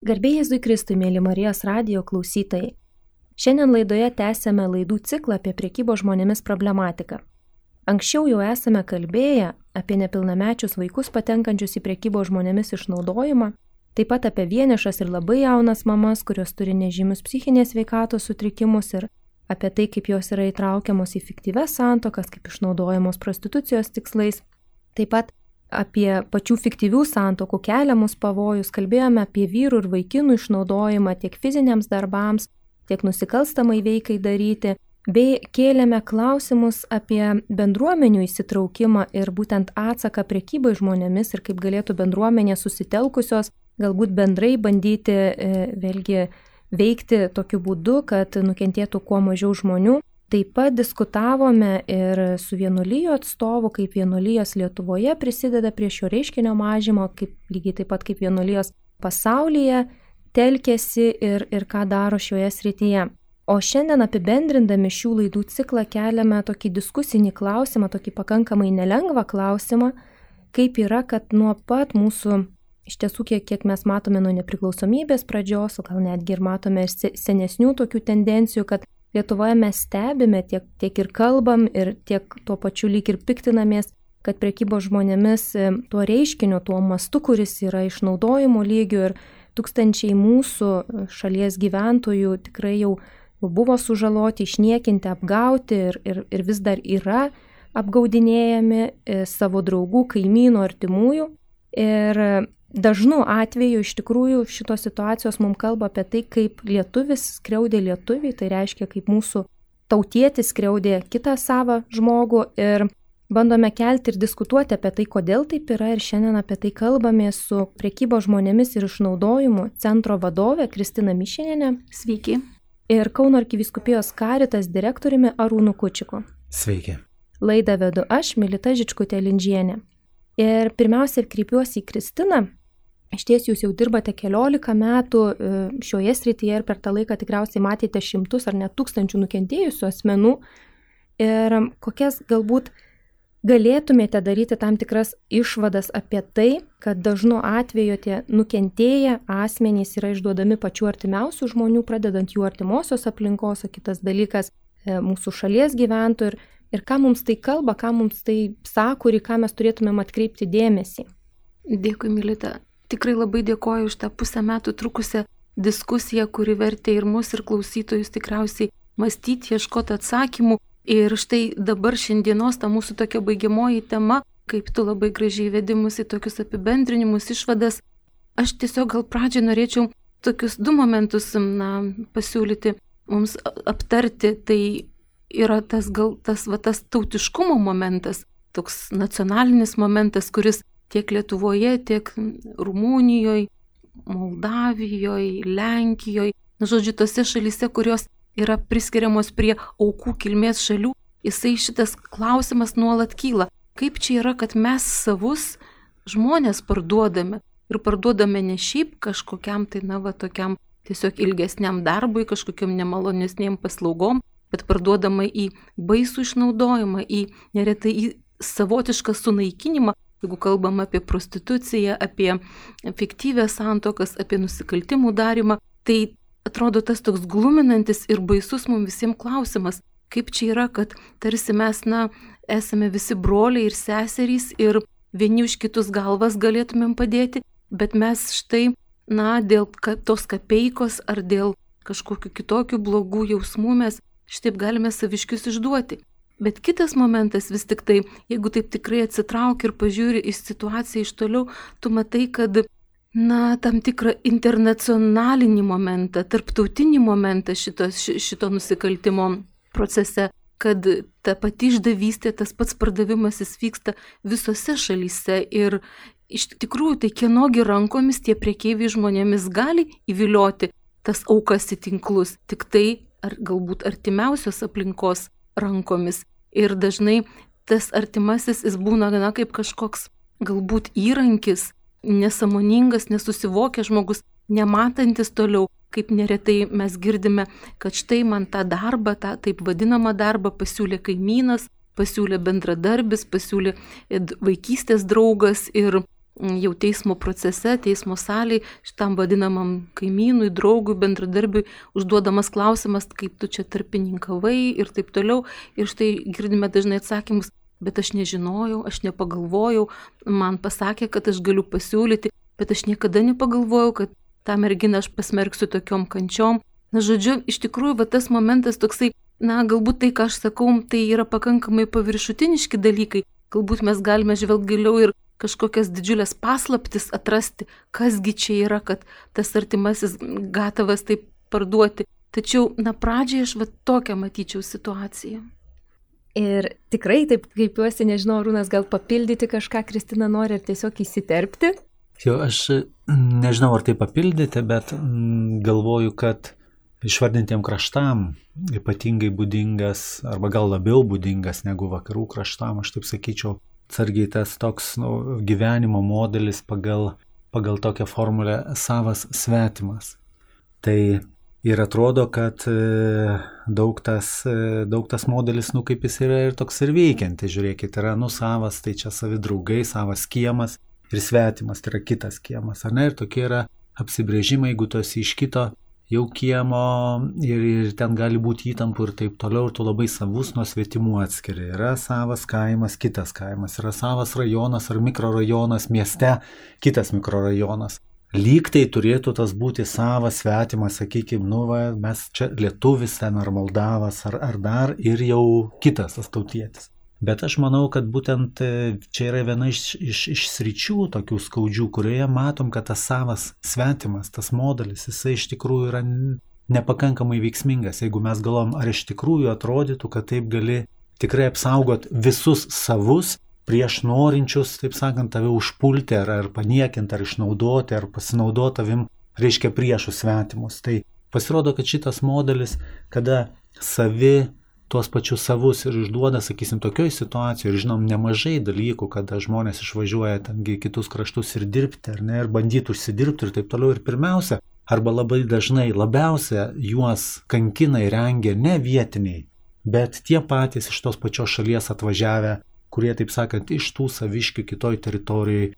Garbė Jėzui Kristui, mėly Marijos radijo klausytojai. Šiandien laidoje tęsiame laidų ciklą apie prekybos žmonėmis problematiką. Anksčiau jau esame kalbėję apie nepilnamečius vaikus patenkančius į prekybos žmonėmis išnaudojimą, taip pat apie vienišas ir labai jaunas mamas, kurios turi nežymius psichinės sveikatos sutrikimus ir apie tai, kaip jos yra įtraukiamos į fiktyves santuokas, kaip išnaudojamos prostitucijos tikslais. Taip pat apie pačių fiktyvių santuokų keliamus pavojus, kalbėjome apie vyrų ir vaikinų išnaudojimą tiek fiziniams darbams, tiek nusikalstamai veikai daryti, bei kėlėme klausimus apie bendruomenių įsitraukimą ir būtent atsaką prekybai žmonėmis ir kaip galėtų bendruomenės susitelkusios galbūt bendrai bandyti vėlgi veikti tokiu būdu, kad nukentėtų kuo mažiau žmonių. Taip pat diskutavome ir su vienuolijų atstovu, kaip vienuolijos Lietuvoje prisideda prie šio reiškinio mažimo, lygiai taip pat kaip vienuolijos pasaulyje telkėsi ir ką daro šioje srityje. O šiandien apibendrindami šių laidų ciklą keliame tokį diskusinį klausimą, tokį pakankamai nelengvą klausimą, kaip yra, kad nuo pat mūsų, iš tiesų kiek mes matome nuo nepriklausomybės pradžios, o gal netgi ir matome senesnių tokių tendencijų, kad Lietuvoje mes stebime tiek ir kalbam ir tiek tuo pačiu lyg ir piktinamės, kad prekybos žmonėmis tuo reiškiniu, tuo mastu, kuris yra išnaudojimo lygiu ir tūkstančiai mūsų šalies gyventojų tikrai jau buvo sužaloti, išniekinti, apgauti ir vis dar yra apgaudinėjami savo draugų, kaimynų, artimųjų. Ir dažnu atveju iš tikrųjų šitos situacijos mums kalba apie tai, kaip lietuvis skriaudė lietuvį, tai reiškia, kaip mūsų tautietis skriaudė kitą savą žmogų ir bandome kelti ir diskutuoti apie tai, kodėl taip yra ir šiandien apie tai kalbame su prekybos žmonėmis ir išnaudojimu centro vadove Kristina Mišinienė. Sveiki. Ir Kauno arkivyskupijos Caritas direktoriumi Arūnu Kučiku. Sveiki. Laidą vedu aš, Milita Žičkutė-Lindžienė. Ir pirmiausia kreipiuosi į Kristiną. Išties jūs jau dirbate 14 metų šioje srityje ir per tą laiką tikriausiai matėte šimtus ar net tūkstančių nukentėjusių asmenų. Ir kokias galbūt galėtumėte daryti tam tikras išvadas apie tai, kad dažnu atveju tie nukentėję asmenys yra išduodami pačių artimiausių žmonių, pradedant jų artimosios aplinkos, o kitas dalykas mūsų šalies gyventojų ir ką mums tai kalba, ką mums tai sako ir į ką mes turėtumėm atkreipti dėmesį. Dėkui, Milita. Tikrai labai dėkoju už tą pusę metų trukusią diskusiją, kuri vertė ir mus, ir klausytojus tikriausiai mąstyti, ieškoti atsakymų. Ir štai dabar šiandienos ta mūsų tokia baigiamoji tema, kaip tu labai gražiai vedi mus į tokius apibendrinimus, išvadas. Aš tiesiog gal pradžiai norėčiau tokius du momentus pasiūlyti mums aptarti. Tai yra tas tautiškumo momentas, toks nacionalinis momentas, kuris tiek Lietuvoje, tiek Rumunijoje, Moldavijoje, Lenkijoje, žodžiu, tose šalyse, kurios yra priskiriamos prie aukų kilmės šalių, jisai šitas klausimas nuolat kyla. Kaip čia yra, kad mes savus žmonės parduodame ir parduodame ne šiaip kažkokiam tokiam tiesiog ilgesniam darbui, kažkokiam nemalonesniem paslaugom, bet parduodama į baisų išnaudojimą, neretai į savotišką sunaikinimą, jeigu kalbam apie prostituciją, apie fiktyvės santuokas, apie nusikaltimų darymą, tai atrodo tas toks gluminantis ir baisus mums visiems klausimas, kaip čia yra, kad tarsi mes, esame visi broliai ir seserys ir vieni už kitus galvas galėtumėm padėti, bet mes štai, dėl tos kapeikos ar dėl kažkokių kitokių blogų jausmų mes šitaip galime saviškius išduoti. Bet kitas momentas vis tik tai, jeigu taip tikrai atsitrauki ir pažiūri į situaciją iš toliau, tu matai, kad tam tikrą internacionalinį momentą, tarptautinį momentą šito nusikaltimo procese, kad ta pati išdavystė, tas pats pardavimas jis vyksta visose šalyse ir iš tikrųjų tai kienogi rankomis tie prekeiviai žmonėmis gali įvilioti tas aukas į tinklus, tik tai ar galbūt artimiausios aplinkos rankomis. Ir dažnai tas artimasis jis būna kaip kažkoks galbūt įrankis, nesąmoningas, nesusivokęs žmogus, nematantis toliau, kaip neretai mes girdime, kad štai man tą darbą, tą taip vadinamą darbą pasiūlė kaimynas, pasiūlė bendradarbis, pasiūlė vaikystės draugas ir jau teismo procese, teismo salėje, šitam vadinamam kaimynui, draugui, bendradarbiui užduodamas klausimas, kaip tu čia tarpininkavai ir taip toliau. Ir štai girdime dažnai atsakymus, bet aš nežinojau, aš nepagalvojau, man pasakė, kad aš galiu pasiūlyti, bet aš niekada nepagalvojau, kad tą merginą aš pasmerksiu tokiom kančiom. Na, žodžiu, iš tikrųjų, tas momentas toksai, galbūt tai, ką aš sakau, tai yra pakankamai paviršutiniški dalykai. Galbūt mes galime žvelgti giliau ir kažkokias didžiulės paslaptis atrasti, kasgi čia yra, kad tas artimasis gatavas taip parduoti. Tačiau, pradžiai aš tokią matyčiau situaciją. Ir tikrai taip kreipiuosi, nežinau, Arūnas gal papildyti kažką, Kristina nori, ar tiesiog įsiterpti? Jo, aš nežinau, ar tai papildyti, bet galvoju, kad išvardintiem kraštam ypatingai būdingas, arba gal labiau būdingas negu vakarų kraštam, aš taip sakyčiau, atsargiai tas toks gyvenimo modelis pagal tokią formulę savas svetimas. Tai ir atrodo, kad daug tas modelis, kaip jis yra ir toks ir veikiantis, žiūrėkit, yra savas, tai čia savi draugai, savas kiemas ir svetimas, tai yra kitas kiemas, ar ne, ir tokie yra apsibrėžimai, jeigu tu esi iš kito jau kiemo ir ten gali būti įtampų ir taip toliau, ir tu labai savus nuo svetimų atskiri. Yra savas kaimas, kitas kaimas, yra savas rajonas ar mikrorajonas mieste, kitas mikrorajonas. Lyg tai turėtų tas būti savas svetimas, sakykime, mes čia lietuvis ten ar Moldavas ar dar ir jau kitas tas tautietis. Bet aš manau, kad būtent čia yra viena iš sričių tokių skaudžių, kurioje matom, kad tas savas svetimas, tas modelis, jisai iš tikrųjų yra nepakankamai veiksmingas. Jeigu mes galvom, ar iš tikrųjų atrodytų, kad taip gali tikrai apsaugot visus savus prieš norinčius, taip sakant, tave užpulti ar paniekinti, ar išnaudoti, ar pasinaudoti tavim, reiškia priešų svetimus. Tai pasirodo, kad šitas modelis, kada savi tuos pačius savus ir išduoda, sakysim, tokioj situacijoje, ir žinom nemažai dalykų, kada žmonės išvažiuoja tengi kitus kraštus ir dirbti, ar ne, ir bandyti užsidirbti ir taip toliau. Ir pirmiausia, arba labai dažnai labiausia juos kankina ir rengia ne vietiniai, bet tie patys iš tos pačios šalies atvažiavę, kurie, taip sakant, iš tų saviškių kitoj teritorijai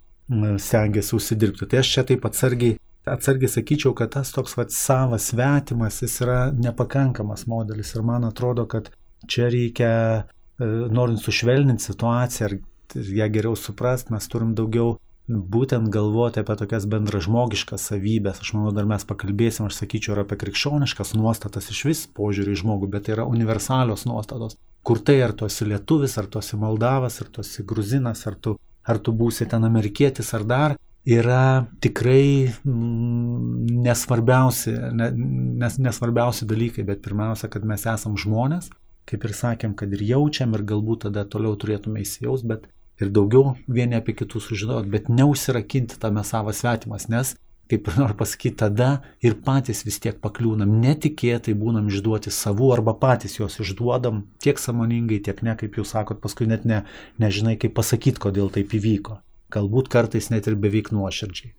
stengiasi užsidirbti. Tai aš čia taip atsargiai sakyčiau, kad tas toks savas svetimas, jis yra nepakankamas modelis ir man atrodo, kad čia reikia, norint sušvelninti situaciją ir ją geriau suprasti, mes turim daugiau būtent galvoti apie tokias bendražmogiškas savybės. Aš manau, dar mes pakalbėsim, aš sakyčiau, ir apie krikščioniškas nuostatas iš vis požiūrį į žmogų, bet tai yra universalios nuostatos, kur tai ar tu esi lietuvis, ar tu esi Moldavas, ar tu esi gruzinas, ar tu būsi ten amerikietis ar dar, yra tikrai nesvarbiausi dalykai, bet pirmiausia, kad mes esam žmonės, kaip ir sakėm, kad ir jaučiam ir galbūt tada toliau turėtume įsijaust, bet ir daugiau vieni apie kitus sužinoti, bet neužsirakinti tame savas svetimas, nes, kaip ir noriu pasakyti, tada ir patys vis tiek pakliūnam, netikėtai būnam išduoti savų arba patys juos išduodam, tiek sąmoningai, tiek ne, kaip jūs sakot, paskui net nežinai, kaip pasakyti, kodėl taip įvyko. Galbūt kartais net ir beveik nuoširdžiai.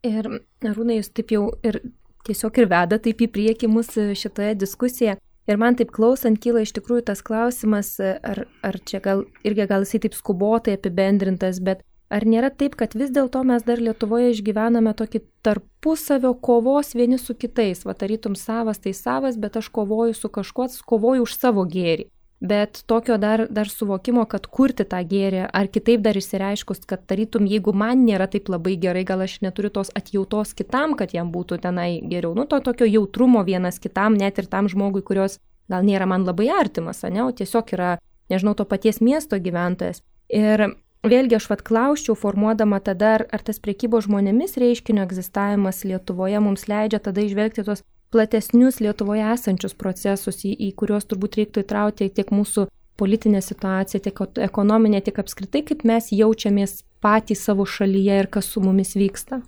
Ir Arūnai, jūs taip jau ir tiesiog ir veda taip į priekį mūsų šitoje diskusijoje. Ir man taip klausant kyla iš tikrųjų tas klausimas, ar čia gal jisai taip skubotai apibendrintas, bet ar nėra taip, kad vis dėlto mes dar Lietuvoje išgyvename tokį tarpusavio kovos vieni su kitais. Tarytum savas tai savas, bet aš kovoju su kažkuo, kovoju už savo gėrį. Bet tokio dar suvokimo, kad kurti tą gėrį, ar kitaip dar išsireiškus, kad tarytum, jeigu man nėra taip labai gerai, gal aš neturiu tos atjautos kitam, kad jam būtų tenai geriau. To tokio jautrumo vienas kitam, net ir tam žmogui, kurios gal nėra man labai artimas, ne, o tiesiog yra, nežinau, to paties miesto gyventojas. Ir vėlgi aš klausčiau, formuodama tada, ar tas prekybos žmonėmis reiškinio egzistavimas Lietuvoje mums leidžia tada išvelgti tos platesnius Lietuvoje esančius procesus, į kuriuos turbūt reiktų įtraukti tiek mūsų politinę situaciją, tiek ekonominę, tiek apskritai, kaip mes jaučiamės patys savo šalyje ir kas su mumis vyksta.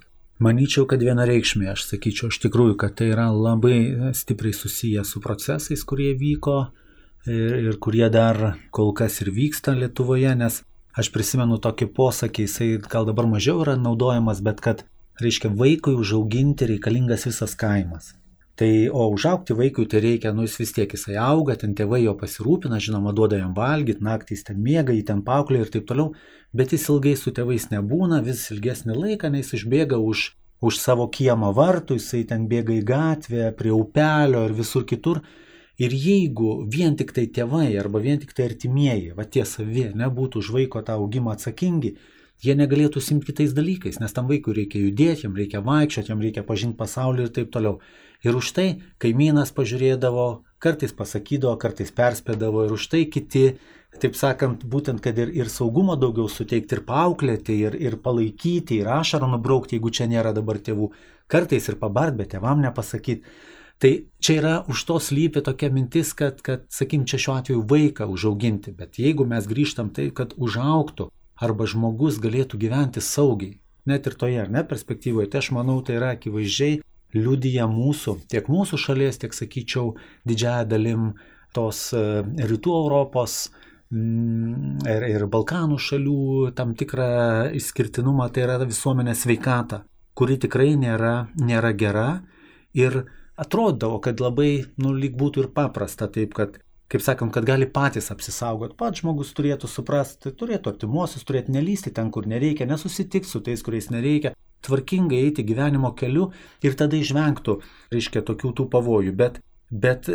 Manyčiau, kad vienareikšmiai, aš sakyčiau, iš tikrųjų, kad tai yra labai stipriai susiję su procesais, kurie vyko ir kurie dar kol kas ir vyksta Lietuvoje, nes aš prisimenu tokį posakį, jisai gal dabar mažiau yra naudojamas, bet kad, reiškia, vaikui užauginti reikalingas visas kaimas. Tai, o užaugti vaikui tai reikia, jis vis tiek jisai auga, ten tėvai jo pasirūpina, žinoma, duoda jam valgyti, naktys ten miega, jį ten paauklė ir taip toliau, bet jis ilgai su tėvais nebūna, vis ilgesnį laiką, nes išbėga už savo kiemo vartų, jisai ten bėga į gatvę, prie upelio ir visur kitur. Ir jeigu vien tik tai tėvai arba vien tik tai artimieji, va tie savi, nebūtų už vaiko tą augimą atsakingi, jie negalėtų simti kitais dalykais, nes tam vaikui reikia judėti, jam reikia vaikščioti, jam reikia pažinti pasaulį ir taip toliau. Ir už tai kaimynas pažiūrėdavo, kartais pasakydavo, kartais perspėdavo ir už tai kiti, taip sakant, būtent, kad ir saugumo daugiau suteikti, ir paauklėti, ir palaikyti, ir ašarą nubraukti, jeigu čia nėra dabar tėvų, kartais ir pabart, bet tėvam nepasakyti. Tai čia yra už to slypi tokia mintis, kad sakykim, čia šiuo atveju vaiką užauginti, bet jeigu mes grįžtam tai, kad užaugtų arba žmogus galėtų gyventi saugiai, net ir toje, ar ne, perspektyvoje, tai aš manau, tai yra akivaizdžiai liudija mūsų, tiek mūsų šalies, tiek, sakyčiau, didžiąją dalim tos rytų Europos ir Balkanų šalių tam tikrą išskirtinumą, tai yra visuomenės sveikata, kuri tikrai nėra gera ir atrodavo, kad labai, lyg būtų ir paprasta, taip, kad, kaip sakant, kad gali patys apsisaugoti. Pats žmogus turėtų suprasti, turėtų artimuosius, turėtų nelysti ten, kur nereikia, nesusitikti su tais, kuriais nereikia, tvarkingai eiti gyvenimo keliu ir tada išvengtų, reiškia, tokių tų pavojų. Bet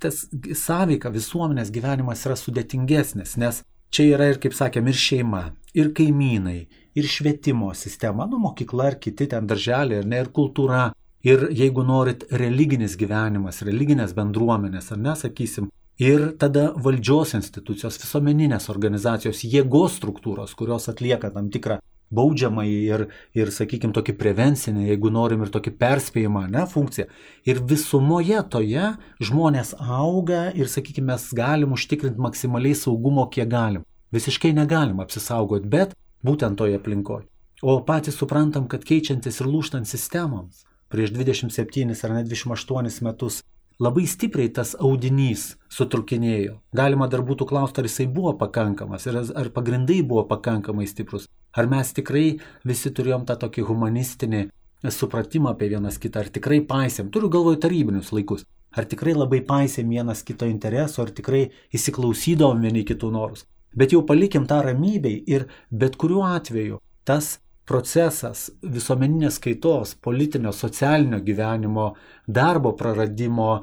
tas sąveika visuomenės gyvenimas yra sudėtingesnis, nes čia yra ir, kaip sakėm, ir šeima, ir kaimynai, ir švietimo sistema, mokykla ir kiti ten darželiai, ir kultūra. Ir jeigu norit religinis gyvenimas, religinės bendruomenės, ar nesakysim, ir tada valdžios institucijos, visuomeninės organizacijos, jėgos struktūros, kurios atlieka tam tikrą baudžiamąjį ir sakykim, tokį prevencinį, jeigu norim, ir tokį perspėjimą, funkciją. Ir visumoje toje žmonės auga ir, sakykim, mes galim užtikrinti maksimaliai saugumo, kiek galim. Visiškai negalim apsisaugoti, bet būtent toje aplinkoje. O patys suprantam, kad keičiantis ir lūžtant sistemoms, prieš 27 ar net 28 metus labai stipriai tas audinys sutrukinėjo. Galima dar būtų klausti, ar jisai buvo pakankamas, ar pagrindai buvo pakankamai stiprus, ar mes tikrai visi turėjom tą tokį humanistinį supratimą apie vienas kitą, ar tikrai paisėm, turiu galvoje tarybinius laikus, ar tikrai labai paisėm vienas kito interesų, ar tikrai įsiklausydavom vieni kitų norus. Bet jau palikim tą ramybei ir bet kuriuo atveju tas procesas visuomeninės kaitos, politinio, socialinio gyvenimo, darbo praradimo,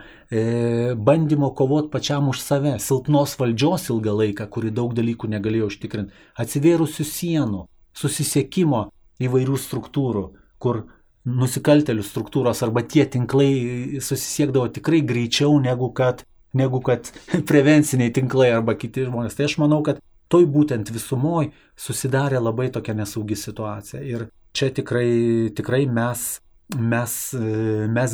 bandymo kovoti pačiam už save, silpnos valdžios ilgą laiką, kuri daug dalykų negalėjo užtikrinti, atsivėrusių sienų, susisiekimo įvairių struktūrų, kur nusikaltelių struktūros arba tie tinklai susisiekdavo tikrai greičiau negu kad prevenciniai tinklai arba kiti žmonės. Tai aš manau, kad toj būtent visumoj susidarė labai tokia nesaugi situacija. Ir čia tikrai mes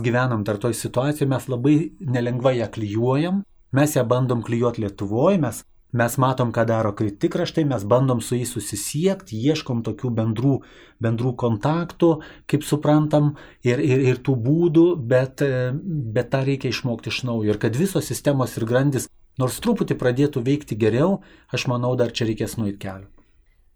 gyvenam dar toj situacijoje, mes labai nelengvai ją klijuojam, mes ją bandom klijuoti Lietuvoje, mes matom, ką daro kritikraštai, mes bandom su jais susisiekti, ieškom tokių bendrų kontaktų, kaip suprantam, ir tų būdų, bet tą reikia išmokti iš naujo. Ir kad visos sistemos ir grandis nors truputį pradėtų veikti geriau, aš manau, dar čia reikės nueiti kelią.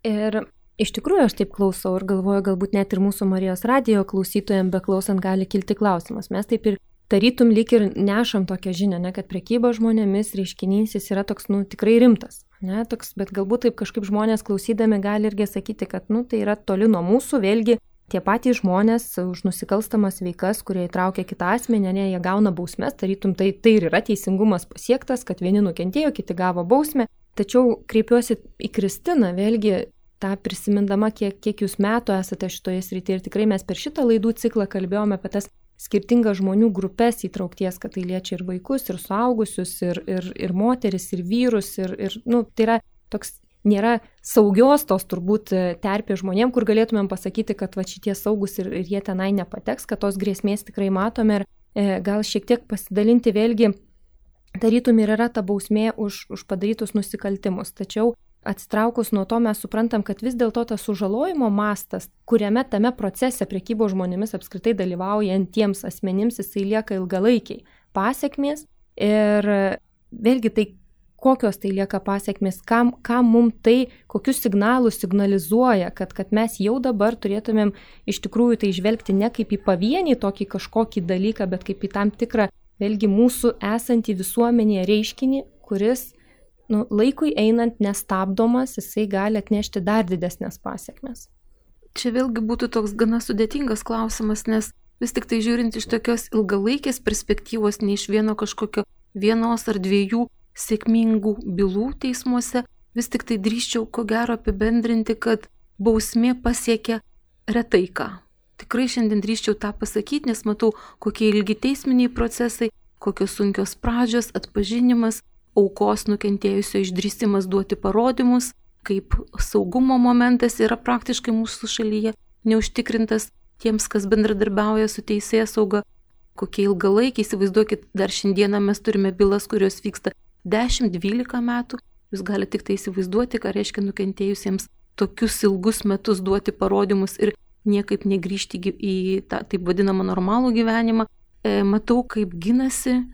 Ir iš tikrųjų aš taip klausau ir galvoju, galbūt net ir mūsų Marijos radijo klausytojams beklausant gali kilti klausimas. Mes taip ir tarytum lyg ir nešam tokią žinią, kad prekyba žmonėmis reiškinys jis yra toks, tikrai rimtas. Toks, bet galbūt taip kažkaip žmonės klausydami gali irgi sakyti, kad tai yra toli nuo mūsų, vėlgi tie patys žmonės už nusikalstamas veikas, kurie įtraukia kitą asmenį, jie gauna bausmes, tarytum tai ir yra teisingumas pasiektas, kad vieni nukentėjo, kiti gavo bausmę. Tačiau kreipiuosi į Kristiną, vėlgi tą prisimindama, kiek jūs metų esate šitoje srityje ir tikrai mes per šitą laidų ciklą kalbėjome apie tas skirtingas žmonių grupės įtraukties, kad tai liečia ir vaikus, ir suaugusius, ir moteris, ir vyrus, ir tai yra toks nėra saugios tos turbūt terpės žmonėm, kur galėtumėm pasakyti, kad šitie saugus ir jie tenai nepateks, kad tos grėsmės tikrai matome ir gal šiek tiek pasidalinti vėlgi, tarytum ir yra ta bausmė už padarytus nusikaltimus. Tačiau atsitraukus nuo to mes suprantam, kad vis dėlto tas sužalojimo mastas, kuriame tame procese prekybos žmonėmis apskritai dalyvaujantiems asmenims, jisai lieka ilgalaikiai pasekmės ir vėlgi tai kokios tai lieka pasiekmes, kam mums tai, kokius signalus signalizuoja, kad mes jau dabar turėtumėm iš tikrųjų tai žvelgti ne kaip į pavienį tokį kažkokį dalyką, bet kaip į tam tikrą, vėlgi mūsų esantį visuomenėje reiškinį, kuris laikui einant nestabdomas, jisai gali atnešti dar didesnės pasiekmes. Čia vėlgi būtų toks gana sudėtingas klausimas, nes vis tik tai žiūrint iš tokios ilgalaikės perspektyvos, ne iš vienos ar dviejų sėkmingų bylų teismuose, vis tik tai drįsčiau ko gero apibendrinti, kad bausmė pasiekia retai ką. Tikrai šiandien drįsčiau tą pasakyti, nes matau, kokie ilgi teisminiai procesai, kokios sunkios pradžios, atpažinimas, aukos nukentėjusio išdrįsimas duoti parodymus, kaip saugumo momentas yra praktiškai mūsų šalyje neužtikrintas tiems, kas bendradarbiauja su teisėsauga, kokie ilgalaikiai, įsivaizduokit, dar šiandieną mes turime bylas, kurios vyksta 10-12 metų, jūs galite tik tai įsivaizduoti, ką reiškia nukentėjusiems tokius ilgus metus duoti parodymus ir niekaip negrįžti į tą taip vadinamą normalų gyvenimą. Matau, kaip ginasi,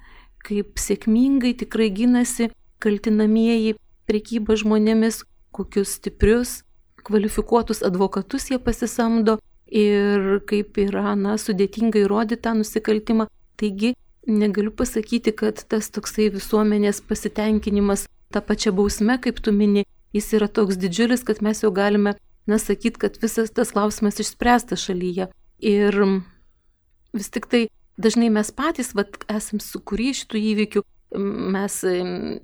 kaip sėkmingai tikrai ginasi kaltinamieji prekyba žmonėmis, kokius stiprius, kvalifikuotus advokatus jie pasisamdo ir kaip yra sudėtinga įrodyti tą nusikaltimą. Taigi negaliu pasakyti, kad tas toksai visuomenės pasitenkinimas tą pačią bausmę, kaip tu mini, jis yra toks didžiulis, kad mes jau galime sakyti, kad visas tas klausimas išspręstas šalyje. Ir vis tik tai dažnai mes patys esam sukūrę šitų įvykių, mes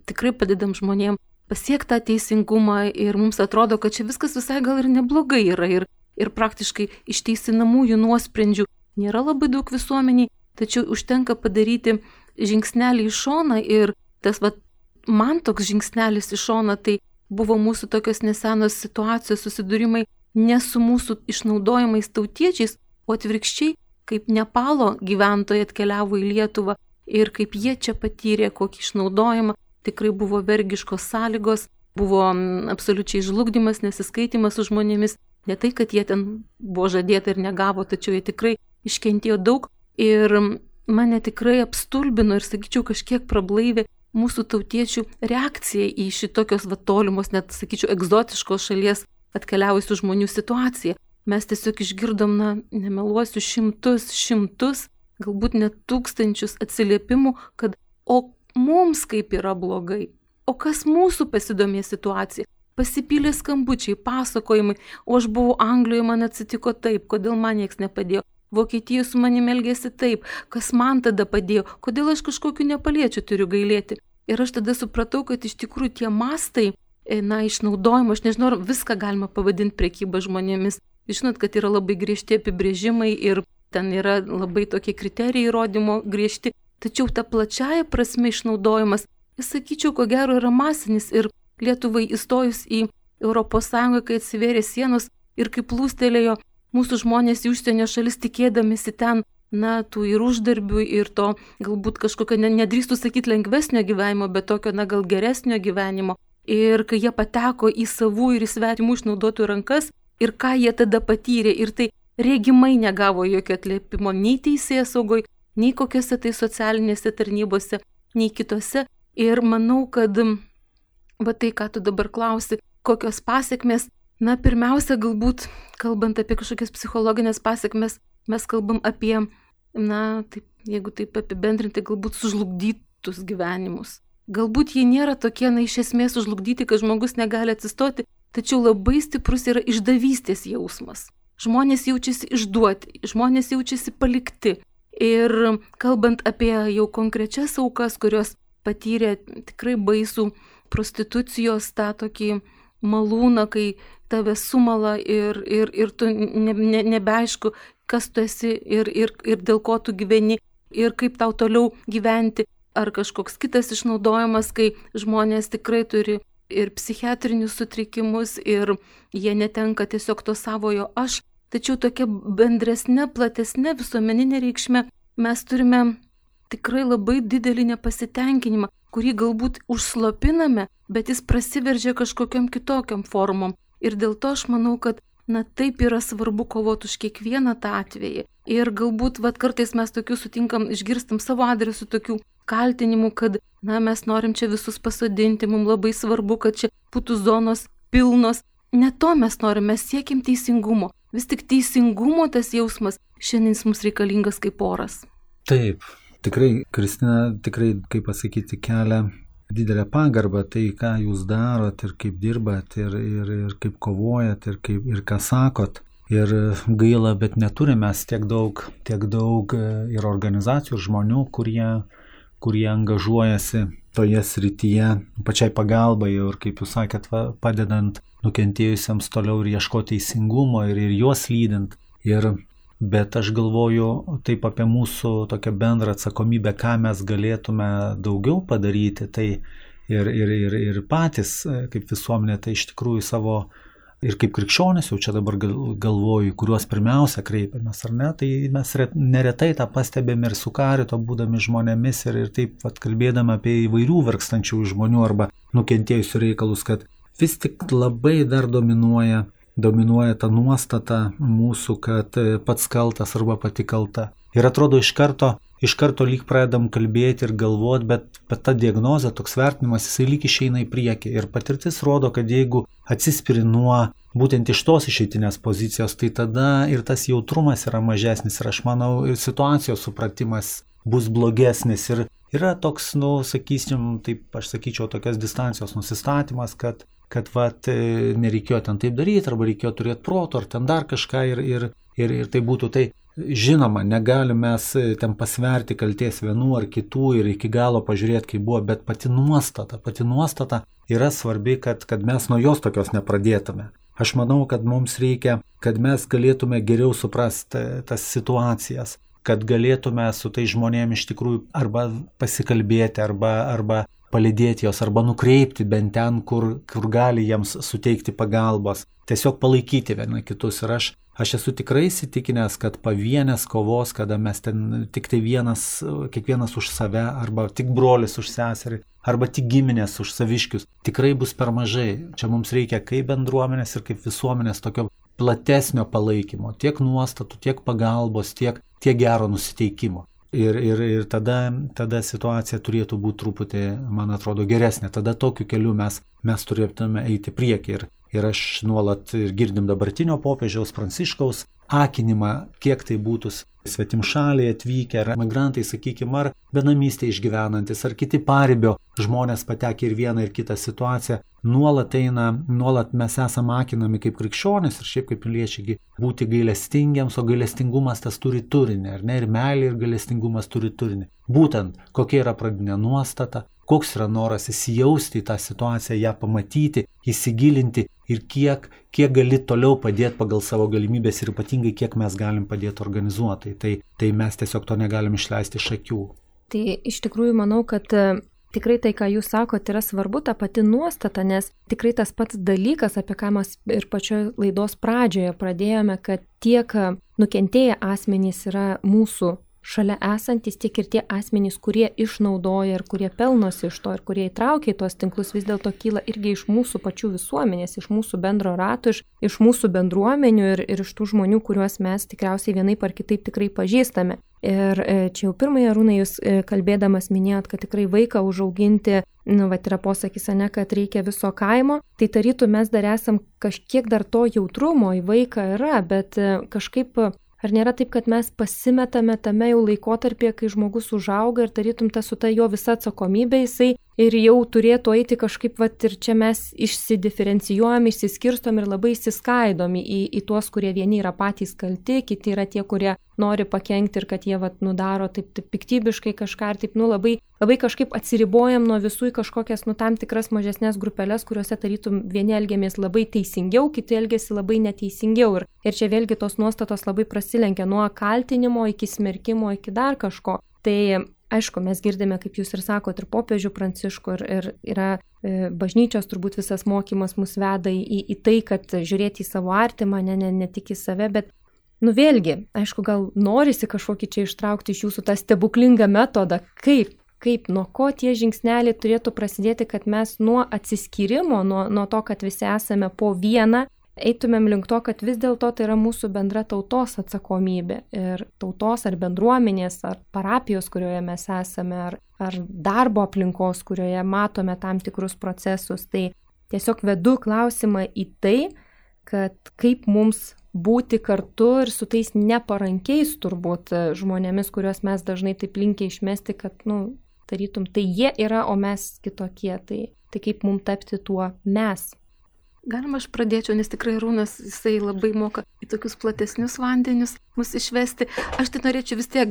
tikrai padedam žmonėm pasiekti tą teisingumą ir mums atrodo, kad čia viskas visai gal ir neblogai yra ir praktiškai išteisinamųjų nuosprendžių nėra labai daug visuomeniai, tačiau užtenka padaryti žingsnelį į šoną ir tas man toks žingsnelis į šoną tai buvo mūsų tokios nesenos situacijos susidūrimai ne su mūsų išnaudojimais tautiečiais, o atvirkščiai, kaip Nepalo gyventojai atkeliavo į Lietuvą ir kaip jie čia patyrė kokį išnaudojimą, tikrai buvo vergiškos sąlygos, buvo absoliučiai žlugdymas, nesiskaitimas su žmonėmis, ne tai, kad jie ten buvo žadėta ir negavo, tačiau jie tikrai iškentėjo daug ir mane tikrai apstulbino ir, sakyčiau, kažkiek prablaivė mūsų tautiečių reakcija į šitokios tolimos, net, sakyčiau, egzotiškos šalies atkeliavusių žmonių situaciją. Mes tiesiog išgirdom, nemeluosiu, šimtus, galbūt net tūkstančius atsiliepimų, kad o mums kaip yra blogai, o kas mūsų pasidomė situacija. Pasipylė skambučiai, pasakojimai, o aš buvau Anglijoje, man atsitiko taip, kodėl man nieks nepadėjo. Vokietijoje su manimi elgėsi taip, kas man tada padėjo, kodėl aš kažkokiu nepaliečiu turiu gailėti. Ir aš tada supratau, kad iš tikrųjų tie mastai, išnaudojimo, aš nežinau, ar viską galima pavadinti prekyba žmonėmis. Žinot, kad yra labai griežti apibrėžimai ir ten yra labai tokie kriterijai įrodymo griežti, tačiau ta plačiaja prasme išnaudojimas, jis, sakyčiau, ko gero yra masinis ir Lietuvai įstojus į ES, kai atsivėrė sienos ir kaip plūstelėjo mūsų žmonės į užsienio šalis tikėdamisi ten, tų ir uždarbių, ir to galbūt kažkokio, nedrįstų sakyti lengvesnio gyvenimo, bet tokio, gal geresnio gyvenimo. Ir kai jie pateko į savų ir į svetimų išnaudotų rankas, ir ką jie tada patyrė, ir tai regimai negavo jokio atliepimo nei teisėsaugoj, nei kokiose tai socialinėse tarnybose, nei kitose. Ir manau, kad tai, ką tu dabar klausi, kokios pasiekmes, pirmiausia, galbūt, kalbant apie kažkokias psichologinės pasiekmes, mes kalbam apie, jeigu taip apibendrinti, galbūt sužlugdytus gyvenimus. Galbūt jie nėra tokie, iš esmės sužlugdyti, kad žmogus negali atsistoti, tačiau labai stiprus yra išdavystės jausmas. Žmonės jaučiasi išduoti, žmonės jaučiasi palikti. Ir kalbant apie jau konkrečias aukas, kurios patyrė tikrai baisų prostitucijos tą tokį malūną, kai tave sumala ir tu nebeaišku, kas tu esi ir dėl ko tu gyveni ir kaip tau toliau gyventi. Ar kažkoks kitas išnaudojimas, kai žmonės tikrai turi ir psichiatrinius sutrikimus ir jie netenka tiesiog to savojo aš. Tačiau tokia bendresnė, platesnė visuomeninė reikšmė mes turime tikrai labai didelį nepasitenkinimą, kurį galbūt užslopiname, bet jis prasiveržia kažkokiam kitokiam formom. Ir dėl to aš manau, kad na taip yra svarbu kovoti už kiekvieną tą atvejį. Ir galbūt kartais mes tokių sutinkam, išgirstam savo adresu tokių kaltinimų, kad mes norim čia visus pasodinti, mums labai svarbu, kad čia būtų zonos pilnos. Ne to mes norim, mes siekim teisingumo. Vis tik teisingumo tas jausmas šiandien mums reikalingas kaip oras. Taip, tikrai, Kristina, kaip pasakyti, kelia didelę pagarbą tai, ką jūs darot ir kaip dirbat ir kaip kovojat ir ką sakot. Ir gaila, bet neturime mes tiek daug ir organizacijų, ir žmonių, kurie angažuojasi toje srityje, pačiai pagalbai ir, kaip jūs sakėt, padedant nukentėjusiems toliau ir ieškoti teisingumo ir juos lydint. Bet aš galvoju taip apie mūsų tokią bendrą atsakomybę, ką mes galėtume daugiau padaryti, tai ir patys kaip visuomenė, tai iš tikrųjų savo ir kaip krikščionys, jau čia dabar galvoju, kuriuos pirmiausia kreipiamės, ar ne, tai mes neretai tą pastebėme ir su Karito būdami žmonėmis ir taip kalbėdami apie įvairių vargstančių žmonių arba nukentėjusių reikalus, kad vis tik labai dar dominuoja ta nuostata mūsų, kad pats kaltas arba pati kalta. Ir atrodo iš karto lyg pradedam kalbėti ir galvoti, bet ta diagnozė, toks vertinimas, jisai lyg išeina į priekį. Ir patirtis rodo, kad jeigu atsispiri nuo būtent iš tos išeitinės pozicijos, tai tada ir tas jautrumas yra mažesnis. Ir aš manau, ir situacijos supratimas bus blogesnis. Ir yra toks, sakysim, taip aš sakyčiau, tokias distancijos nusistatymas, kad nereikėjo ten taip daryti, arba reikėjo turėti proto, ar ten dar kažką ir tai būtų tai. Žinoma, negalim mes ten pasverti kalties vienų ar kitų ir iki galo pažiūrėti, kaip buvo, bet pati nuostata yra svarbi, kad mes nuo jos tokios nepradėtume. Aš manau, kad mums reikia, kad mes galėtume geriau suprasti tas situacijas, kad galėtume su tai žmonėmis iš tikrųjų arba pasikalbėti, arba palydėti jos, arba nukreipti bent ten, kur gali jiems suteikti pagalbos, tiesiog palaikyti vieni kitus. Ir aš esu tikrai įsitikinęs, kad pavienės kovos, kada mes ten tik tai kiekvienas už save, arba tik brolis už seserį, arba tik giminės už saviškius, tikrai bus per mažai. Čia mums reikia kaip bendruomenės ir kaip visuomenės tokio platesnio palaikymo, tiek nuostatų, tiek pagalbos, tiek gero nusiteikimo. Ir tada situacija turėtų būti truputį, man atrodo, geresnė. Tada tokiu keliu mes turėtume eiti priekį. Ir aš nuolat girdim dabartinio popiežiaus Pranciškaus akinimą, kiek tai būtų svetimšaliai atvykę, ar migrantai, sakykime, ar benamystė išgyvenantis, ar kiti paribio žmonės patekę ir vieną ir kitą situaciją. Nuolat mes esame akinami kaip krikščionys ir šiaip kaip piliečiai būti gailestingiams, o gailestingumas tas turi turinį, ar ne? Ir meilė ir gailestingumas turi turinį. Būtent kokia yra pradinė nuostata, koks yra noras įsijausti į tą situaciją, ją pamatyti, įsigilinti ir kiek gali toliau padėti pagal savo galimybės ir ypatingai kiek mes galim padėti organizuotai. Tai mes tiesiog to negalim išleisti iš akių. Tai iš tikrųjų manau, kad tikrai tai, ką jūs sakote, yra svarbu, ta pati nuostata, nes tikrai tas pats dalykas, apie ką mes ir pačioje laidos pradžioje pradėjome, kad tiek nukentėję asmenys yra mūsų šalia esantis, tiek ir tie asmenys, kurie išnaudoja ir kurie pelnosi iš to ir kurie įtraukia į tos tinklus, vis dėlto kyla irgi iš mūsų pačių visuomenės, iš mūsų bendro rato, iš mūsų bendruomenių ir iš tų žmonių, kuriuos mes tikriausiai vienaip ar kitaip tikrai pažįstame. Ir čia jau pirmąją, Arūnai, jūs kalbėdamas minėjot, kad tikrai vaiką užauginti, yra posakis, ne, kad reikia viso kaimo, tai tarytų mes dar esam kažkiek dar to jautrumo į vaiką yra, bet kažkaip ar nėra taip, kad mes pasimetame tame jau laikotarpyje, kai žmogus užauga ir tarytum su ta jo visa atsakomybė jisai ir jau turėtų eiti kažkaip, ir čia mes išsidiferencijuojam, išsiskirstom ir labai įsiskaidom į tuos, kurie vieni yra patys kalti, kiti yra tie, kurie nori pakenkti ir kad jie daro taip piktybiškai kažką ir taip labai kažkaip atsiribojam nuo visų į kažkokias tam tikras mažesnės grupelės, kuriuose tarytum vieni elgiamės labai teisingiau, kiti elgiasi labai neteisingiau. Ir čia vėlgi tos nuostatos labai prasilenkia nuo kaltinimo iki smerkimo iki dar kažko. Tai aišku, mes girdime, kaip jūs ir sakote, ir popiežių Pranciškų, ir yra bažnyčios turbūt visas mokymas mus veda į tai, kad žiūrėti į savo artimą, ne tik į save, bet vėlgi, aišku, gal norisi kažkokį čia ištraukti iš jūsų tą stebuklingą metodą, kaip, nuo ko tie žingsneliai turėtų prasidėti, kad mes nuo atsiskyrimo, nuo to, kad visi esame po vieną eitumėm link to, kad vis dėlto tai yra mūsų bendra tautos atsakomybė ir tautos ar bendruomenės, ar parapijos, kurioje mes esame, ar darbo aplinkos, kurioje matome tam tikrus procesus. Tai tiesiog vedu klausimą į tai, kad kaip mums būti kartu ir su tais neparankiais turbūt žmonėmis, kuriuos mes dažnai taip linkę išmesti, kad, tarytum, tai jie yra, o mes kitokie. Tai kaip mums tapti tuo mes. Galima aš pradėčiau, nes tikrai Arūnas, jisai labai moka į tokius platesnius vandenius mus išvesti. Aš tai norėčiau vis tiek,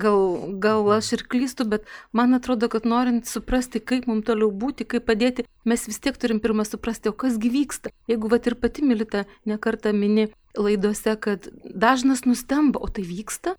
gal aš ir klystu, bet man atrodo, kad norint suprasti, kaip mums toliau būti, kaip padėti, mes vis tiek turim pirmą suprasti, o kas gi vyksta. Jeigu ir pati Milita nekartą mini laidose, kad dažnas nustemba, o tai vyksta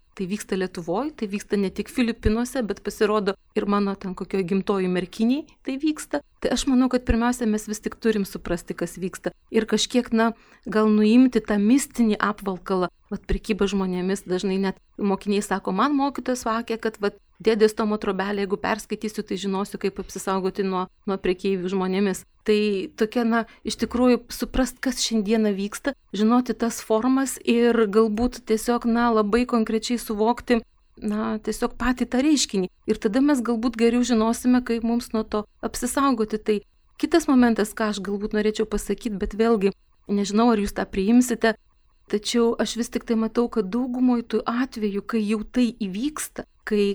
Lietuvoje, tai vyksta ne tik Filipinuose, bet pasirodo ir mano ten kokio gimtojų merkiniai tai vyksta. Tai aš manau, kad pirmiausia mes vis tik turim suprasti, kas vyksta. Ir kažkiek, gal nuimti tą mistinį apvalkalą. Prekyba žmonėmis, dažnai net mokiniai sako, man mokytojas sakė, kad dėdės Tomo trobelė, jeigu perskaitysiu, tai žinosiu, kaip apsisaugoti nuo prekeivių žmonėmis. Tai tokia, iš tikrųjų, suprast, kas šiandieną vyksta, žinoti tas formas ir galbūt tiesiog, labai konkrečiai suvokti, tiesiog patį tą reiškinį. Ir tada mes galbūt geriau žinosime, kaip mums nuo to apsisaugoti. Tai kitas momentas, ką aš galbūt norėčiau pasakyti, bet vėlgi, nežinau, ar jūs tą priimsite, tačiau aš vis tik tai matau, kad daugumoje tų atvejų, kai jau tai įvyksta, kai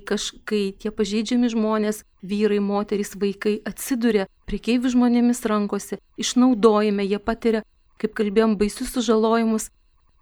tie pažeidžiami žmonės, vyrai, moterys, vaikai atsiduria prekeivių žmonėmis rankose, išnaudojime, jie patiria, kaip kalbėjom, baisius sužalojimus.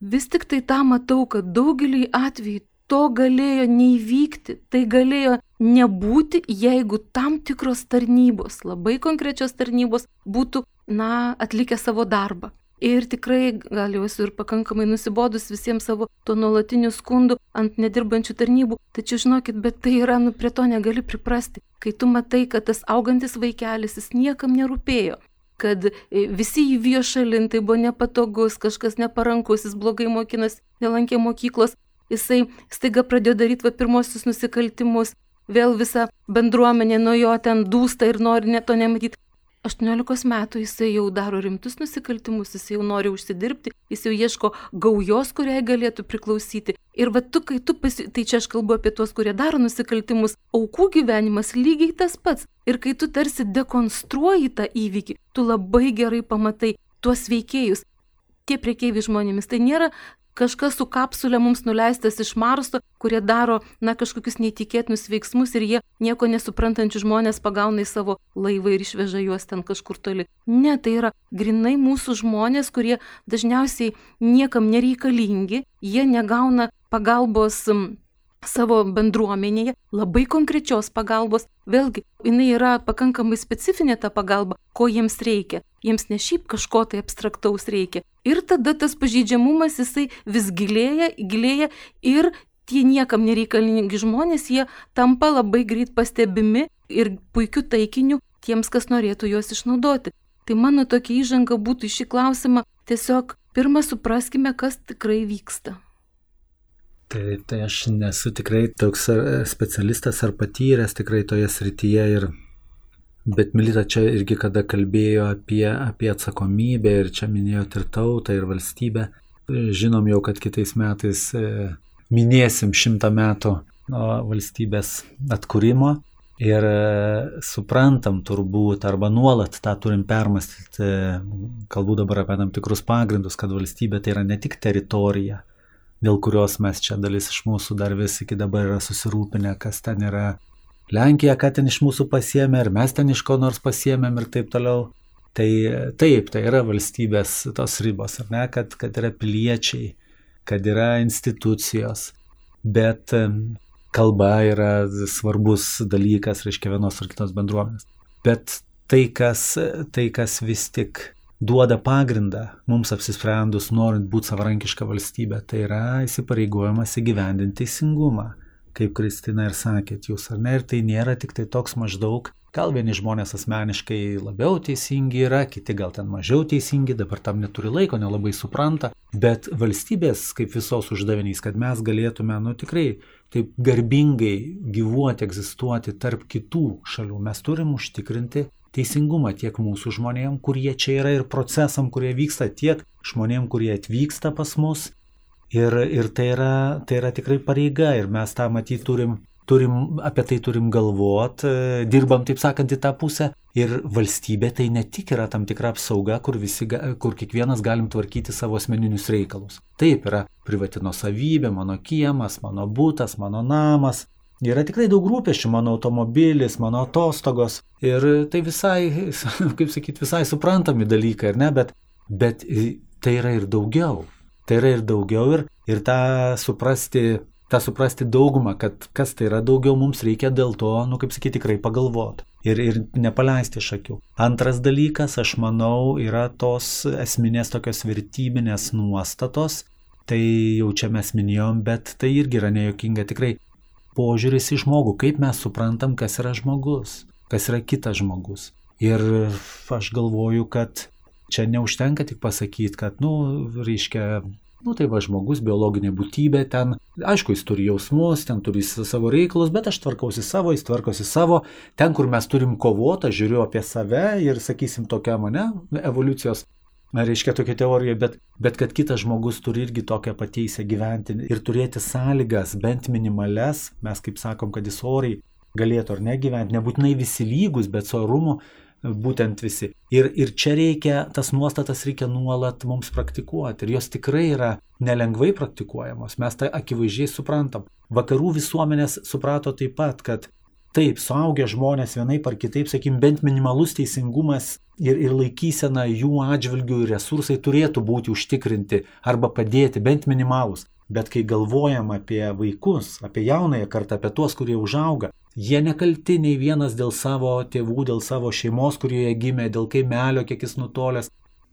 Vis tik tai tą matau, kad daugelį atvejų to galėjo neįvykti, tai galėjo nebūti, jeigu tam tikros tarnybos, labai konkrečios tarnybos būtų, atlikę savo darbą. Ir tikrai, gal jau esu ir pakankamai nusibodus visiems savo to nuolatinių skundų ant nedirbančių tarnybų, tačiau žinokit, bet tai yra, prie to negali priprasti. Kai tu matai, kad tas augantis vaikelis, jis niekam nerūpėjo, kad visi jį vijo šalin, tai buvo nepatogus, kažkas neparankus, jis blogai mokinas, nelankė mokyklos, jisai staiga pradėjo daryti pirmosius nusikaltimus, vėl visa bendruomenė nuo jo ten dūsta ir nori to nematyti. 18 metų jisai jau daro rimtus nusikaltimus, jisai jau nori užsidirbti, jis jau ieško gaujos, kuriai galėtų priklausyti. Ir tai čia aš kalbu apie tuos, kurie daro nusikaltimus, aukų gyvenimas lygiai tas pats. Ir kai tu tarsi dekonstruoji tą įvykį, tu labai gerai pamatai tuos veikėjus. Tie prekeiviai žmonėmis, tai nėra kažkas su kapsulė mums nuleistas iš Marso, kurie daro, kažkokius neįtikėtinus veiksmus ir jie nieko nesuprantančių žmonės pagauna į savo laivą ir išveža juos ten kažkur toli. Ne, tai yra grinai mūsų žmonės, kurie dažniausiai niekam nereikalingi, jie negauna pagalbos savo bendruomenėje, labai konkrečios pagalbos. Vėlgi, jinai yra pakankamai specifinė ta pagalba, ko jiems reikia. Jiems ne šiaip kažko tai abstraktaus reikia. Ir tada tas pažeidžiamumas jisai vis gilėja ir tie niekam nereikalingi žmonės, jie tampa labai greit pastebimi ir puikiu taikiniu tiems, kas norėtų juos išnaudoti. Tai mano tokia įžanga būtų į šį klausimą, tiesiog pirmą supraskime, kas tikrai vyksta. Tai aš nesu tikrai toks specialistas ar patyręs tikrai toje srityje, bet Milita čia irgi kada kalbėjo apie atsakomybę ir čia minėjot ir tautą ir valstybę. Žinom jau, kad kitais metais minėsim 100 metų nuo valstybės atkūrimo ir suprantam turbūt arba nuolat tą turim permastyti, kalbu dabar apie tam tikrus pagrindus, kad valstybė tai yra ne tik teritorija, dėl kurios mes čia dalis iš mūsų dar vis iki dabar yra susirūpinę, kas ten yra Lenkija, ką ten iš mūsų pasiėmė, ar mes ten iš ko nors pasiėmėm ir taip toliau. Tai taip, tai yra valstybės tos ribos, ar ne, kad yra piliečiai, kad yra institucijos, bet kalba yra svarbus dalykas, reiškia vienos ar kitos bendruomenės. Bet tai, kas vis tik duoda pagrindą mums apsisprendus, norint būti savarankiška valstybė, tai yra įsipareigojimas įgyvendinti teisingumą, kaip Kristina ir sakėt jūs, ar ne, ir tai nėra tik tai toks maždaug, gal vieni žmonės asmeniškai labiau teisingi yra, kiti gal ten mažiau teisingi, dabar tam neturi laiko, nelabai supranta, bet valstybės kaip visos uždavinys, kad mes galėtume, tikrai taip garbingai gyvuoti, egzistuoti tarp kitų šalių, mes turim užtikrinti teisingumą tiek mūsų žmonėm, kurie čia yra ir procesam, kurie vyksta tiek žmonėm, kurie atvyksta pas mus. Ir tai yra tikrai pareiga ir mes tą matyti apie tai turim galvot, dirbam, taip sakant, į tą pusę. Ir valstybė tai ne tik yra tam tikra apsauga, kur kiekvienas galim tvarkyti savo asmeninius reikalus. Taip, yra privati nuosavybė, mano kiemas, mano butas, mano namas. Yra tikrai daug rūpesčių, mano automobilis, mano atostogos. Ir tai visai, kaip sakyti, visai suprantami dalykai, ar ne? Bet tai yra ir daugiau. Tai yra ir daugiau ir tą suprasti daugumą, kad kas tai yra daugiau, mums reikia dėl to, kaip sakyti, tikrai pagalvoti ir nepaleisti iš akių. Antras dalykas, aš manau, yra tos esminės tokios vertybinės nuostatos, tai jau čia mes minėjom, bet tai irgi yra nejuokinga, tikrai požiūris į žmogų, kaip mes suprantam, kas yra žmogus, kas yra kitas žmogus. Ir aš galvoju, kad čia neužtenka tik pasakyti, kad, tai va žmogus, biologinė būtybė, ten, aišku, jis turi jausmus, ten turi savo reikalus, bet aš tvarkausi savo, jis tvarkosi savo. Ten, kur mes turim kovotą, žiūriu apie save ir, sakysim, tokia evoliucijos, reiškia tokia teorija, bet kad kitas žmogus turi irgi tokią pateisę gyventi ir turėti sąlygas, bent minimales, mes kaip sakom, kad jis oriai galėtų ar negyventi, nebūtinai visi lygus, bet su orumu, būtent visi. Ir čia tas nuostatas reikia nuolat mums praktikuoti. Ir jos tikrai yra nelengvai praktikuojamos. Mes tai akivaizdžiai suprantam. Vakarų visuomenės suprato taip pat, kad taip, suaugę žmonės vienaip ar kitaip, sakykim, bent minimalus teisingumas ir laikysena jų atžvilgių ir resursai turėtų būti užtikrinti arba padėti, bent minimalus. Bet kai galvojam apie vaikus, apie jaunąją kartą, apie tuos, kurie užauga, jie nekalti nei vienas dėl savo tėvų, dėl savo šeimos, kurioje gimė, dėl kaimelio, kiek jis nutolęs.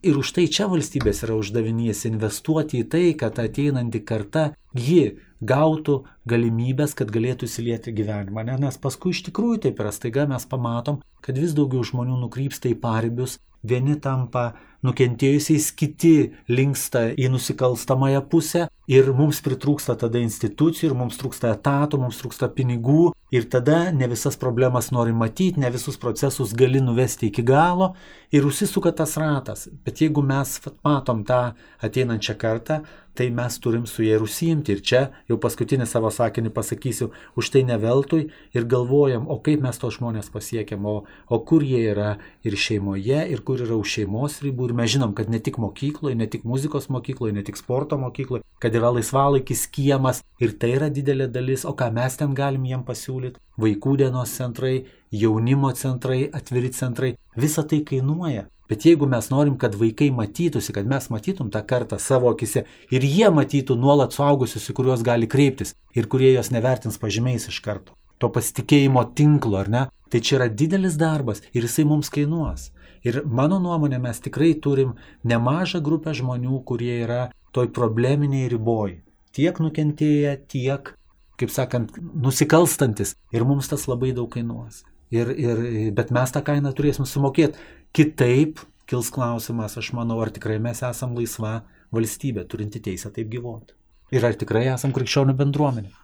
Ir už tai čia valstybės yra uždavinys investuoti į tai, kad ateinanti karta ji gautų galimybės, kad galėtų įsilieti gyvenimą. Nes paskui iš tikrųjų taip yra, staiga mes pamatom, kad vis daugiau žmonių nukrypsta į paribius, vieni tampa nukentėjusiais, kiti linksta į nusikalstamąją pusę ir mums pritrūksta tada institucijų, ir mums trūksta etatų, mums trūksta pinigų ir tada ne visas problemas nori matyti, ne visus procesus gali nuvesti iki galo ir užsisuka tas ratas. Bet jeigu mes matom tą ateinančią kartą, tai mes turim su jie ir užsiimti. Ir čia jau paskutinį savo sakinį pasakysiu, už tai ne veltui ir galvojam, o kaip mes tos žmonės pasiekiam, o kur jie yra ir šeimoje, ir kur yra už šeimos ribų. Ir mes žinom, kad ne tik mokykloje, ne tik muzikos mokykloje, ne tik sporto mokykloje, kad yra laisvalaikis, kiemas ir tai yra didelė dalis. O ką mes ten galim jiem pasiūlyti? Vaikų dienos centrai, jaunimo centrai, atviri centrai. Visa tai kainuoja. Bet jeigu mes norim, kad vaikai matytųsi, kad mes matytum tą kartą savo akise ir jie matytų nuolat suaugusius, į kuriuos gali kreiptis ir kurie jos nevertins pažymiais iš karto, to pasitikėjimo tinklo, ar ne, tai čia yra didelis darbas ir jisai mums kainuos. Ir mano nuomonė, mes tikrai turim nemažą grupę žmonių, kurie yra toj probleminiai riboj. Tiek nukentėję, tiek, kaip sakant, nusikalstantis. Ir mums tas labai daug kainuos. Bet mes tą kainą turėsim sumokėti. Kitaip kils klausimas, aš manau, ar tikrai mes esam laisva valstybė, turinti teisę taip gyvoti. Ir ar tikrai esam krikščionių bendruomenė.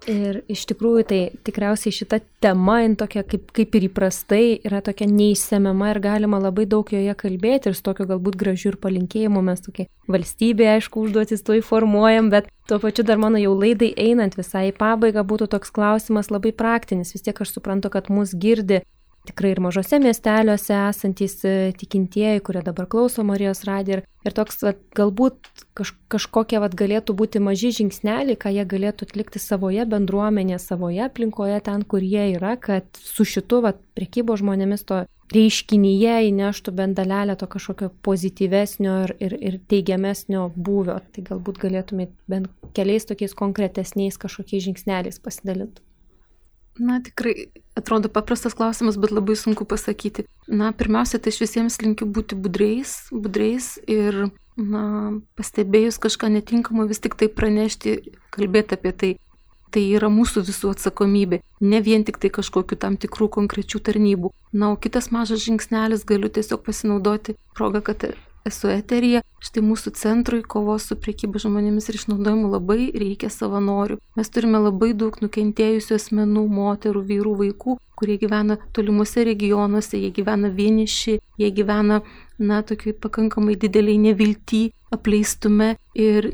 Ir iš tikrųjų tai tikriausiai šita tema, tokia kaip ir įprastai, yra tokia neišsemiama ir galima labai daug joje kalbėti ir su tokiu galbūt gražiu ir palinkėjimu mes tokia valstybė, aišku, užduotis to įformuojam, bet tuo pačiu dar mano jau laidai einant visai į pabaigą būtų toks klausimas labai praktinis. Vis tiek aš suprantu, kad mus girdi tikrai ir mažose miesteliuose esantys tikintieji, kurie dabar klauso Marijos radiją ir toks galbūt kažkokie galėtų būti maži žingsneliai, ką jie galėtų atlikti savoje bendruomenėje, savoje aplinkoje ten, kur jie yra, kad su šitu prekybos žmonėmis to reiškinyje įneštų bent dalelę to kažkokio pozityvesnio ir teigiamesnio būvio. Tai galbūt galėtumėt bent keliais tokiais konkretesniais kažkokiais žingsneliais pasidalinti. Na, tikrai atrodo paprastas klausimas, bet labai sunku pasakyti. Na, pirmiausia, tai aš visiems linkiu būti budreis ir, pastebėjus kažką netinkamo, vis tik tai pranešti, kalbėti apie tai. Tai yra mūsų visų atsakomybė, ne vien tik tai kažkokiu tam tikrų konkrečių tarnybų. Na, o kitas mažas žingsnelis, galiu tiesiog pasinaudoti progą, kad esu eteryje. Štai mūsų centrui kovos su prekyba žmonėmis ir išnaudojimu labai reikia savanorių. Mes turime labai daug nukentėjusių asmenų, moterų, vyrų, vaikų, kurie gyvena tolimuose regionuose, jie gyvena vieniši, jie gyvena tokiai pakankamai dideliai nevilty, apleistume ir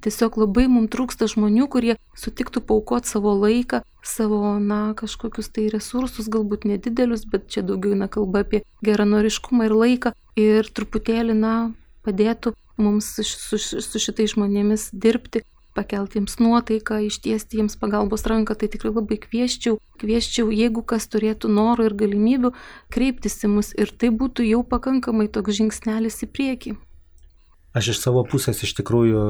tiesiog labai mums trūksta žmonių, kurie sutiktų paaukoti savo laiką, savo, kažkokius tai resursus, galbūt nedidelius, bet čia daugiau kalba apie geranoriškumą ir laiką ir truputėlį, padėtų mums su šitais žmonėmis dirbti, pakelti jiems nuotaiką, ištiesti jiems pagalbos ranką, tai tikrai labai kvieščiau, jeigu kas turėtų norų ir galimybių, kreiptis į mus ir tai būtų jau pakankamai toks žingsnelis į priekį. Aš iš savo pusės iš tikrųjų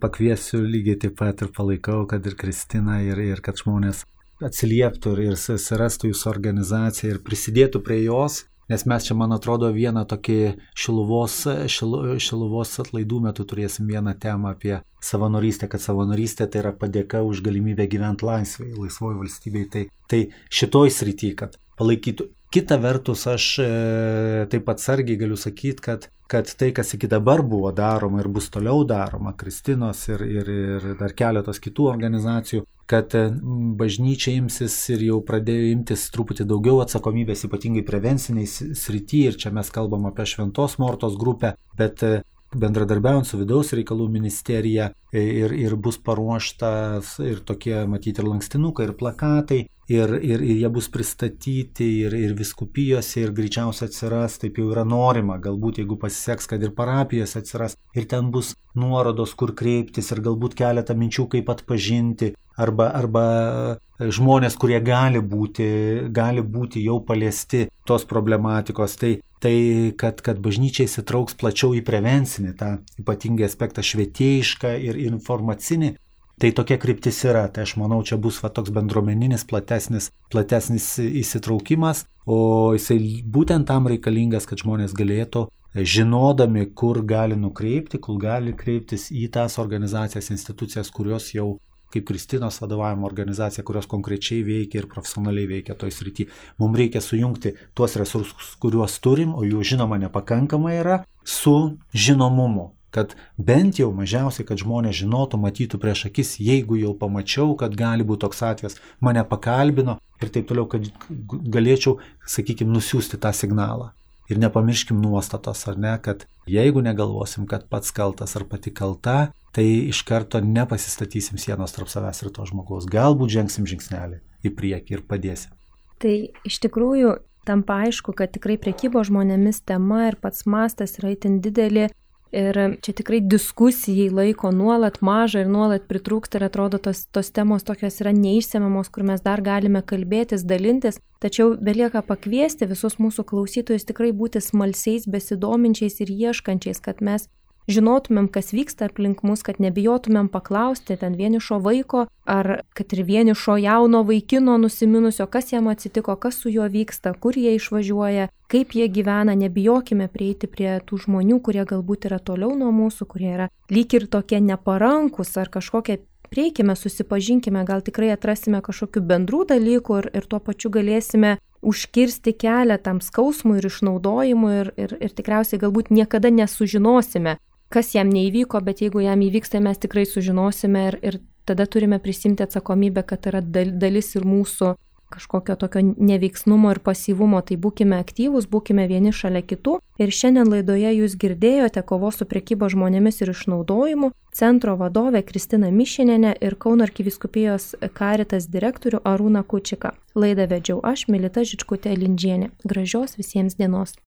pakviesiu lygiai taip pat ir palaikau, kad ir Kristina, ir kad žmonės atsilieptų ir susirastų jūsų organizaciją ir prisidėtų prie jos. Nes mes čia, man atrodo, vieną tokį šiluvos atlaidų metu turėsim vieną temą apie savanorystę, kad savanorystė tai yra padėka už galimybę gyventi laisvoje valstybėje. Tai šitoj srity, kad palaikytų. Kita vertus, aš taip atsargiai galiu sakyti, kad tai, kas iki dabar buvo daroma ir bus toliau daroma, Kristinos ir dar keletos kitų organizacijų, kad bažnyčia imsis ir jau pradėjo imtis truputį daugiau atsakomybės, ypatingai prevenciniai srity, ir čia mes kalbam apie Šventos Mortos grupę, bet bendradarbiaujant su vidaus reikalų ministerija ir bus paruoštas ir tokie, matyti, ir lankstinukai, ir plakatai, ir jie bus pristatyti ir viskupijose, ir greičiausiai atsiras, taip jau yra norima, galbūt jeigu pasiseks, kad ir parapijose atsiras, ir ten bus nuorodos, kur kreiptis, ir galbūt keletą minčių, kaip atpažinti, arba žmonės, kurie gali būti jau paliesti tos problematikos. Tai kad bažnyčia įsitrauks plačiau į prevencinį, tą ypatingą aspektą švietėjišką ir informacinį, tai tokia kryptis yra. Tai aš manau, čia bus toks bendruomeninis, platesnis įsitraukimas, o jisai būtent tam reikalingas, kad žmonės galėtų, žinodami, kur gali nukreipti, kur gali kreiptis į tas organizacijas, institucijas, kurios jau, kaip Kristinos vadovavimo organizacija, kurios konkrečiai veikia ir profesionaliai veikia toj srity. Mums reikia sujungti tuos resursus, kuriuos turim, o jų žinoma nepakankamai yra, su žinomumu. Kad bent jau mažiausiai, kad žmonės žinotų, matytų prieš akis, jeigu jau pamačiau, kad gali būti toks atvejas, mane pakalbino ir taip toliau, kad galėčiau, sakykime, nusiųsti tą signalą. Ir nepamirškim nuostatos, ar ne, kad jeigu negalvosim, kad pats kaltas ar pati kalta, tai iš karto nepasistatysim sienos tarp savęs ir to žmogaus. Galbūt žengsim žingsnelį į priekį ir padėsim. Tai iš tikrųjų tampa aišku, kad tikrai prekybos žmonėmis tema ir pats mastas yra itin didelė. Ir čia tikrai diskusijai laiko nuolat maža ir nuolat pritrūksta ir atrodo tos temos tokios yra neišsemiamos, kur mes dar galime kalbėtis, dalintis. Tačiau belieka pakviesti visus mūsų klausytojus tikrai būti smalsiais, besidominčiais ir ieškančiais, kad mes žinotumėm, kas vyksta aplink mus, kad nebijotumėm paklausti ten vienišo vaiko ar kad ir vienišo jauno vaikino nusiminusio, kas jam atsitiko, kas su juo vyksta, kur jie išvažiuoja, kaip jie gyvena. Nebijokime prieiti prie tų žmonių, kurie galbūt yra toliau nuo mūsų, kurie yra lyg ir tokie neparankus ar kažkokie. Prieikime, susipažinkime, gal tikrai atrasime kažkokių bendrų dalykų ir tuo pačiu galėsime užkirsti kelią tam skausmui ir išnaudojimui ir tikriausiai galbūt niekada nesužinosime, kas jam neįvyko, bet jeigu jam įvyks, tai mes tikrai sužinosime ir tada turime prisimti atsakomybę, kad yra dalis ir mūsų kažkokio tokio neveiksnumo ir pasyvumo. Tai būkime aktyvūs, būkime vieni šalia kitų. Ir šiandien laidoje jūs girdėjote kovos su prekyba žmonėmis ir išnaudojimu centro vadovę Kristiną Mišinienę ir Kauno arkivyskupijos Caritas direktorių Arūną Kučiką. Laidą vedžiau aš, Milita Žičkutė Lindžienė. Gražios visiems dienos.